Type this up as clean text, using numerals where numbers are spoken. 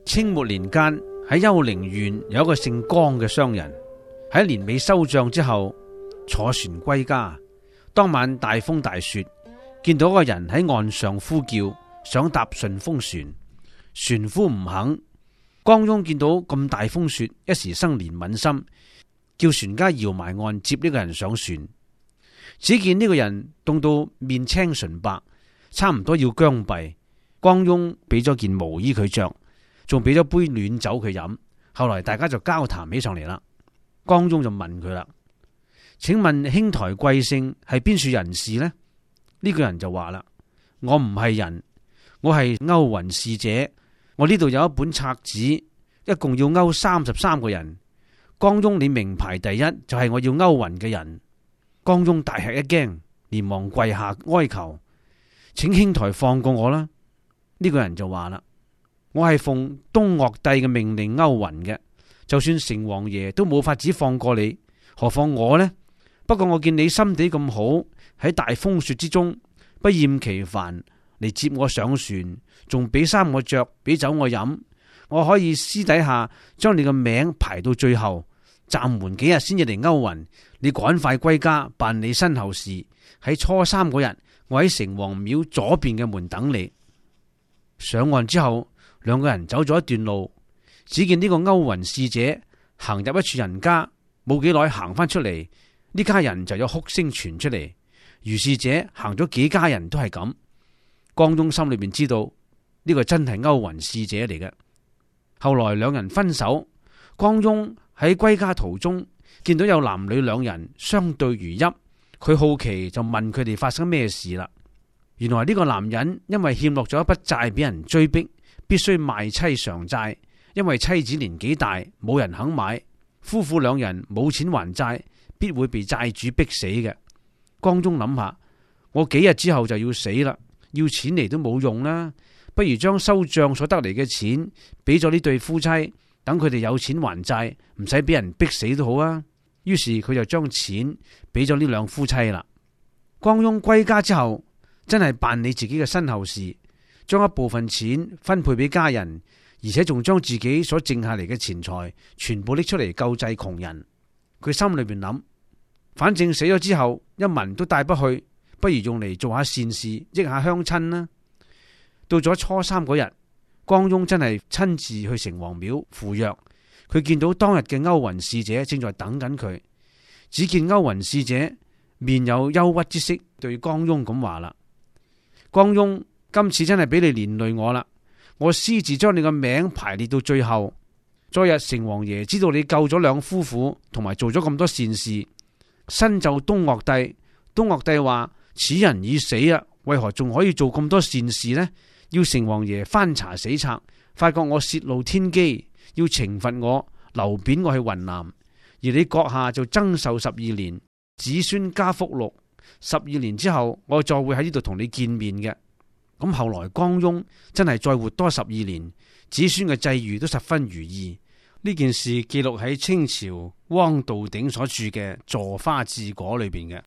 清末年間喺丘陵縣有一個姓江嘅商人，喺年尾收賬之後坐船歸家。當晚大風大雪，見到一個人喺岸上呼叫，想搭順風船，船夫唔肯。江翁見到咁大風雪，一時生憐憫心，叫船家搖埋岸接呢個人上船。只見呢個人凍到面青唇白，差唔多要僵斃。江翁俾咗件毛衣佢着，仲俾咗杯暖酒佢飲。後來大家就交談起上嚟啦。江翁就問佢啦：請問兄台貴姓，係邊處人士呢？呢個人就話啦：我唔係人，我係勾魂使者。我呢度有一本冊子，一共要勾33個人。江翁你名排第一，就係我要勾魂嘅人。江翁大吃一驚，連忙跪下哀求：請兄台放過我啦！呢個人就話啦：我係奉東岳帝嘅命令勾魂嘅，就算城隍爺都冇法子放過你，何況我呢？不過我見你心地咁好，喺大風雪之中不厭其煩嚟接我上船，仲俾衫我着，俾酒我飲，我可以私底下將你個名排到最後，暫緩幾日先至嚟勾魂。你趕快歸家辦理身後事。喺初3嗰日，我喺城隍廟左邊嘅門等你。上岸之後，兩個人走咗一段路，只見呢個勾魂使者行入一處人家，冇幾耐行翻出嚟，呢家人就有哭聲傳出嚟。如是者行咗幾家人都係咁。江翁心裏邊知道呢個真係勾魂使者嚟嘅。後來兩人分手，江翁喺歸家途中見到有男女兩人相對如泣，佢好奇就問佢哋發生咩事啦。原來呢個男人因為欠落咗一筆債俾人追逼，必須賣妻償債，因為妻子年紀大，冇人肯買，夫婦兩人冇錢還債，必會被債主逼死嘅。江翁諗下，我幾日之後就要死啦，要錢嚟都冇用啦，不如將收賬所得嚟嘅錢俾咗呢對夫妻，等佢哋有錢還債，唔使俾人逼死都好啊。於是佢就將錢俾咗呢兩夫妻啦。江翁歸家之後，真係辦理自己嘅身後事，將一部分錢分配俾家人，而且仲將自己所剩下嚟嘅錢財全部拎出嚟救濟窮人。佢心裏邊諗，反正死咗之後一文都帶不去，不如用嚟做下善事，益下鄉親啦。到咗初3嗰日，江翁真係親自去城隍廟赴約。佢見到當日嘅勾魂使者正在等緊佢，只見勾魂使者面有憂鬱之色，對江翁咁話啦：江翁，今次真係俾你連累我啦，我私自將你個名排列到最後。昨日城隍爺知道你救咗兩夫婦，同埋做咗咁多善事，申奏東岳帝。東岳帝話：此人已死啊，為何仲可以做咁多善事呢？要城隍爺翻查死冊，發覺我泄露天機，要懲罰我，流貶我去雲南。而你閣下就增壽12年，子孫加福祿。12年之後，我再會喺呢度同你見面嘅。咁後來江翁真係再活多12年，子孫嘅際遇都十分如意。呢件事記錄喺清朝汪道鼎所著嘅《坐花治果》裏邊嘅。